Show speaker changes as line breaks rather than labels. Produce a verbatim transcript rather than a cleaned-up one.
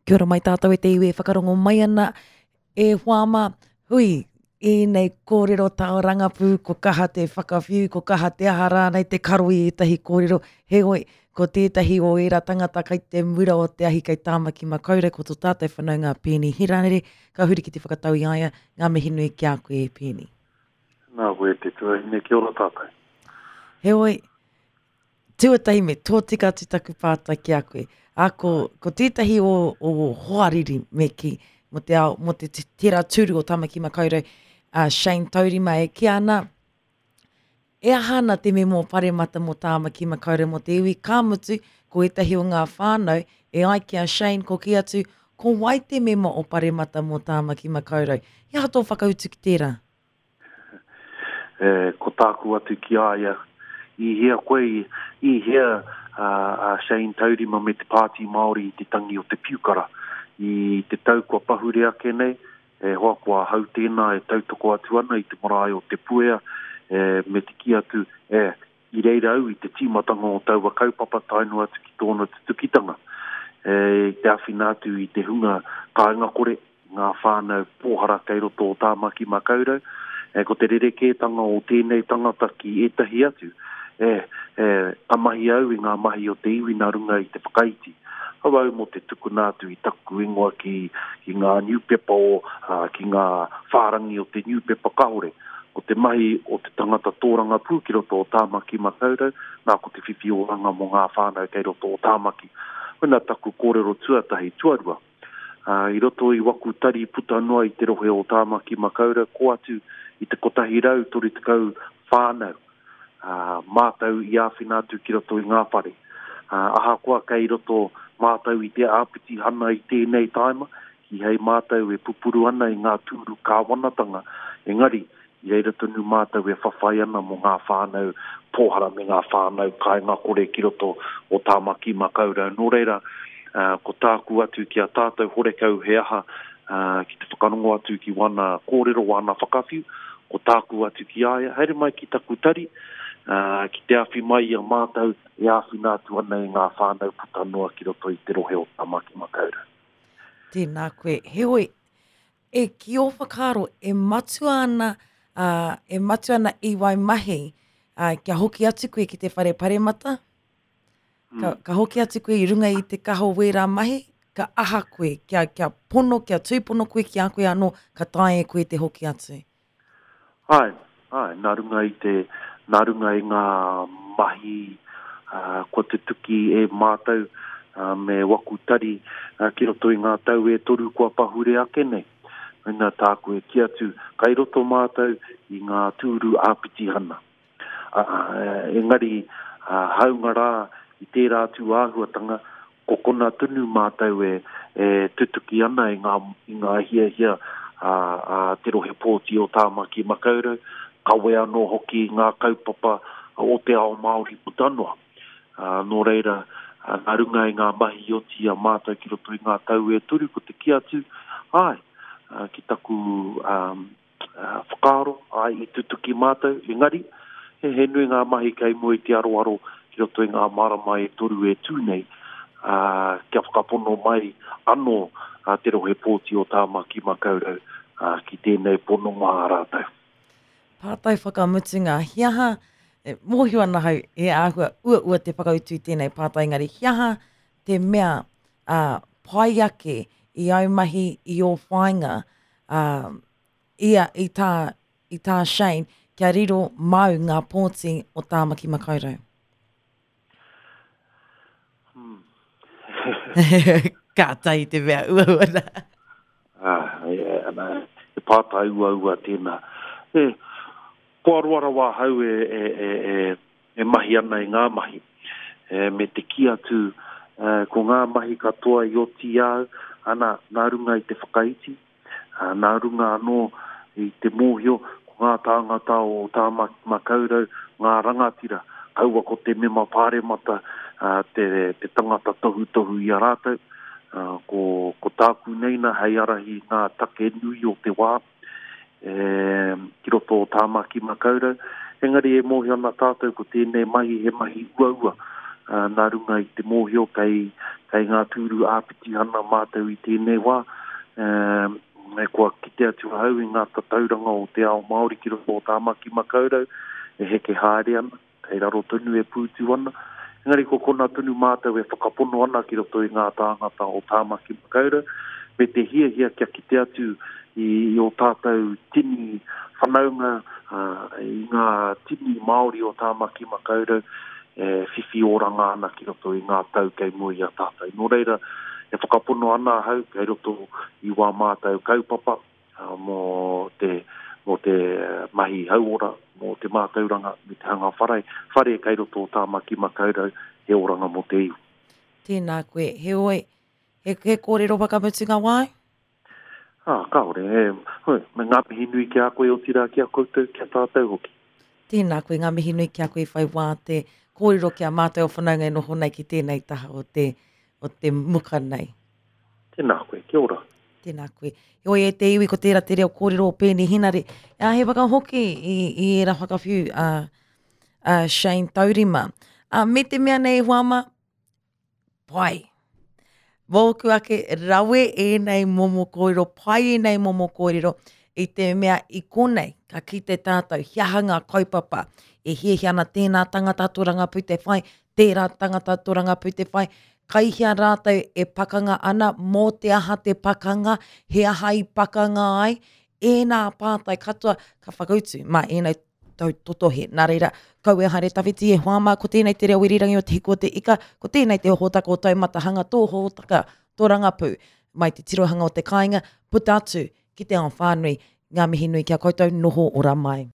Kia ora mai tātou e te iwi e whakarongo mai ana e hoa mā, hui, ēnei kōrero tōrangapū, ko kaha te whakawhiu, ko kaha te aha rānei te karo i ētahi kōrero, heoi, ko tētahi o ērā tangata kai te mura o te ahi kei Tāmaki Makaurau, ko tō tātou whanaunga Peeni Hiranere, ka huri ki te whakatau i a ia, ngā mihi nui ki a koe e Peeni.
Nā koe te tuahine, kia ora tātou.
Heoi, tuatahi me tōtika atu taku pātai ki a koe. A, ko, ko tētahi o, o hoariri me kī, mō te ao, mō te tērā tūru o Tāmaki Makaurau, a Shane Taurima e kī ana, e aha ana te memo paremata mō Tāmaki Makaurau mō te iwi, ka mutu, ko ētahi o ngā whānau, e ai ki a Shane, ko kī atu, ko wai te memo o paremata mō Tāmaki Makaurau? He aha tō whakautu ki tērā?
E, ko tāku atu ki a ia, i hea koe, i hea a Shane Taurima me te Pāti Māori i te tangi o te piukara. I te tau kua pahure ake nei, e hoa ko ahau tēnā e tautoko atu ana i te marae o Te Puea, e, me te kī atu, e, i reira au i te tīmatanga o taua kaupapa tae noa atu ki tōna tutukitanga. E, i te āwhina atu i te hunga kāinga kore, ngā whānau pōhara kei roto o Tāmaki Makaurau, e, ko te rerekētanga o tēnei tangata ki ētahi atu, e, e, ka mahi au i ngā mahi o te iwi nā runga i te whakaiti. Hau au mō te tukuna atu i taku ingoa ki, ki ngā niupepa o, uh, ki ngā whārangi o te niupepa kahore. Ko te mahi o te tangata tōrangapū ki roto o Tāmaki Makaurau, nā ko te whiwhi oranga mō ngā whānau kei roto o Tāmaki. Koina taku kōrero tuatahi, tuarua. Uh, i roto i waku tari puta noa i te rohe o Tāmaki Makaurau, ko atu i te kotahi rau toru tekau whānau. Uh, mātou i āwhina atu ki roto i ngā whare. Uh, ahakoa kei roto mātou i te āpitihana i tēnei taima, ki hei mātou e pupuru ana i ngā tūru kāwanatanga, engari, i reira tonu mātou e whawhai ana mō ngā whānau pōhara me ngā whānau kāinga kore ki roto o Tāmaki Makaurau. Nō reira, uh, ko tāku atu ki a tātou horekau he aha, uh, ki te whakarongo atu ki wana kōrero, wana whakawhiu, ko tāku atu ki a ia, haere mai ki taku tari, uh, ki te awhi mai i a mātou e āwhina atu ana i ngā whānau puta noa ki roto i te rohe o Tāmaki Makaurau.
Tēnā koe. Heoi, e ki ō whakaaro, e matua ana, uh, e matua ana i wai mahi, uh, kia hoki atu koe ki te whare paremata, ka, mm. ka hoki atu koe i runga i te kaha o wērā mahi, ka aha koe, kia, kia pono, kia tūpono koe ki a koe anō, ka taea e koe te hoki atu.
Ai, ai, nā runga i te, nā runga i ngā mahi uh, kua tutuki e mātou uh, me waku tari uh, ki roto i ngā tau e toru kua pahure ake nei. Nā tāku e kī atu, kai roto mātou i ngā tūru āpitihana. Uh, uh, engari, uh, haunga rā i tērā atu āhuatanga, ko kona tonu mātou e, e tutuki ana i ngā, i ngā hiahia a, a te rohe pōti o Tāmaki Makaurau, kawe anō hoki ngā kaupapa o te ao Māori puta noa. Uh, nō reira, uh, nā runga i ngā mahi oti a mātou ki roto i ngā tau e toru, ko te kī atu, ai, uh, ki taku um, uh, whakaaro, ai, i tutuki mātou, engari, he, he nui ngā mahi kei mua i te aroaro ki roto i ngā marama e toru e tū nei, uh, kia whakapono mai anō uh, te rohe pōti o Tāmaki Makaurau uh, ki tēnei pononga a rātou.
Pātai whakamutunga, he aha, e, mōhio ana hau, e āhua uaua te whakautu i tēnei pātai, engari, he aha te mea uh, pai ake i au mahi i ō whāinga uh, i, a, i, tā, i tā Shane, kia riro mau ngā pōti o Tāmaki Makaurau?
Hmm.
Kātahi te mea uaua nā.
Ah, e, ana, e pātai uaua tēnā. E, kua roa rawa ahau e, e, e, e, e mahi ana i ngā mahi. E, me te kī atu, e, ko ngā mahi katoa i oti au, ana, nā runga i te whakaiti, a, nā runga anō i te mōhio, ko ngā tāngata o Tāmaki Makaurau, ngā rangatira, kaua ko te mema pāremata, a, te, te tangata tohutohu i a rātou, a, ko, ko tāku neina hei arahi ngā take nui o te wā, e, ki roto o Tāmaki Makaurau. Engari e mōhio ana tātou ko tēnei mahi he mahi uaua, uh, nā runga i te mōhio kei, kei ngā tūru āpitihana mātou i tēnei wā. Um, me kua kite atu ahau i ngā tatauranga o te ao Māori ki roto o Tāmaki Makaurau e heke haere ana, kei raro tonu e pūtu ana. Engari ko kona tonu mātou e whakapono ana ki roto i ngā tāngata o Tāmaki Makaurau, me te hiahia kia kite atu i, i o tātou tini whanaunga, uh, i ngā tini Māori o Tāmaki Makaurau e whiwhi oranga ana ki roto i ngā tau kei mua i a tātou. Nō reira, e whakapono ana ahau kei roto i wā mātou kaupapa uh, mō te, mō te mahi hauora, mō te mātauranga me te hanga whare, whare kei roto o Tāmaki Makaurau he oranga mō te iwi.
Tēnā koe, heoi, he, he kōrero whakamutunga wai?
Ah, kāore, e, hoi, me ngā mihi nui ki a koe otirā ki a koutou, ki a tātou hoki.
Tēnā koe, ngā mihi nui ki a koe whai wā te kōrero ki a mātou o whanaunga e noho nei ki tēnei taha o te, o te muka nei.
Tēnā koe, kia ora.
Tēnā koe. Heoi e te iwi ko tērā te reo kōrero o Peeni Henare. A, he whakahoki i, i era whakawhiu a, a Shane Taurima. A, me te mea nei hoa pai. Mōku ake rawe ēnei momo kōrero, pai ēnei momo kōrero, i te mea i konei, ka kite tātou, he aha ngā kaupapa, e hiahia ana tēnā tangata tōrangapū te whai, tērā tangata tōrangapū te whai, kai hea rātou e pakanga ana, mō te aha te pakanga, he aha i pakanga ai, ēnā pātai katoa ka whakautu mā ēnei tau totohe. Nā reira, kau e haere tawhiti e hoa mā, ko tēnei te reo irirangi o te hiku o te ika, ko tēnei te hōtaka o taumatahanga, tō hōtaka, tō rangapū, mai te tirohanga o te kāinga, puta atu ki te ao whānui, ngā mihi nui ki a koutou, noho ora mai.